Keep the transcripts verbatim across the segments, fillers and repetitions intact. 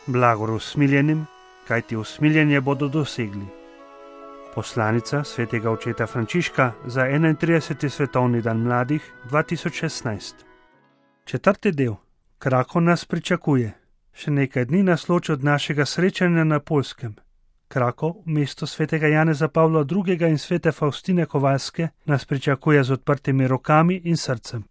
Blagor usmiljenim, kajti usmiljenje bodo dosegli. Poslanica svetega očeta Frančiška za enaintrideseti svetovni dan mladih dva tisoč šestnajst. Četrti del. Krakov nas pričakuje. Še nekaj dni nas loči od našega srečanja na Poljskem. Krakov, mesto svetega Janeza Pavla drugega in svete Faustine Kovalske, nas pričakuje z odprtimi rokami in srcem.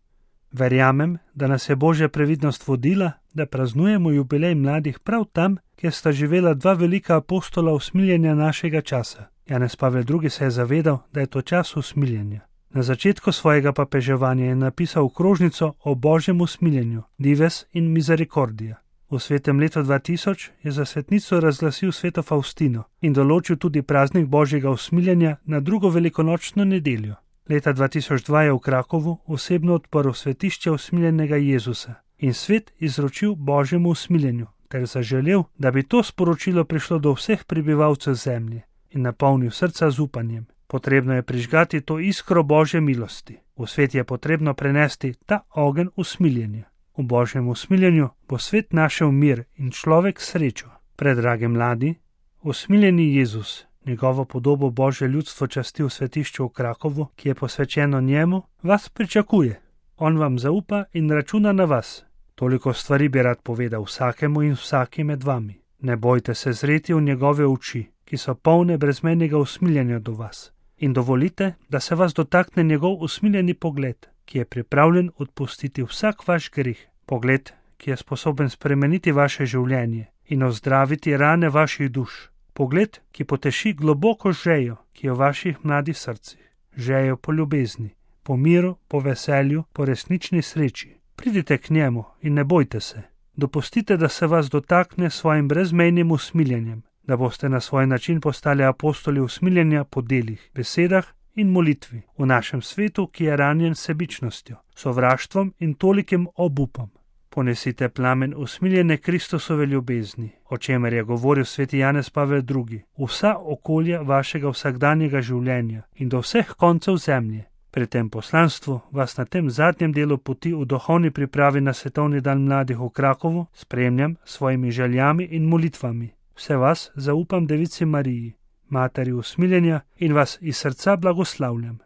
Verjamem, da nas je Božja previdnost vodila, da praznujemo jubilej mladih prav tam, kjer sta živela dva velika apostola usmiljenja našega časa. Janez Pavel drugi se je zavedal, da je to čas usmiljenja. Na začetku svojega papeževanja je napisal krožnico o Božjem usmiljenju, Dives in Misericordija. V svetem letu dva tisoč je za svetnico razglasil sveto Faustino in določil tudi praznik Božjega usmiljenja na drugo velikonočno nedeljo. Leta dva tisoč dva je v Krakovu osebno odprl svetišče usmiljenega Jezusa in svet izročil Božjemu usmiljenju, ter zaželel, da bi to sporočilo prišlo do vseh prebivalcev zemlje in napolnil srca z upanjem. Potrebno je prižgati to iskro Božje milosti. V svet je potrebno prenesti ta ogenj usmiljenja. V Božjem usmiljenju bo svet našel mir in človek srečo. Predragi mladi, usmiljeni Jezus, njegovo podobo Božje ljudstvo časti v svetišču v Krakovu, ki je posvečeno njemu, vas pričakuje. On vam zaupa in računa na vas. Toliko stvari bi rad povedal vsakemu in vsaki med vami. Ne bojte se zreti v njegove oči, ki so polne brezmejnega usmiljenja do vas. In dovolite, da se vas dotakne njegov usmiljeni pogled, ki je pripravljen odpustiti vsak vaš greh. Pogled, ki je sposoben spremeniti vaše življenje in ozdraviti rane vaših duš. Pogled, ki poteši globoko žejo, ki je v vaših mladih srcih. Žejo po ljubezni, po miru, po veselju, po resnični sreči. Pridite k njemu in ne bojte se. Dopustite, da se vas dotakne svojim brezmejnim usmiljenjem, da boste na svoj način postali apostoli usmiljenja po delih, besedah in molitvi v našem svetu, ki je ranjen sebičnostjo, sovraštvom in tolikim obupom. Ponesite plamen usmiljene Kristusove ljubezni, o čemer je govoril sveti Janez Pavel drugi, vsa okolja vašega vsakdanjega življenja in do vseh koncev zemlje. Pri tem poslanstvu vas na tem zadnjem delu poti v duhovni pripravi na svetovni dan mladih v Krakovu spremljam s svojimi željami in molitvami. Vse vas zaupam Devici Mariji, Materi usmiljenja, in vas iz srca blagoslavljam.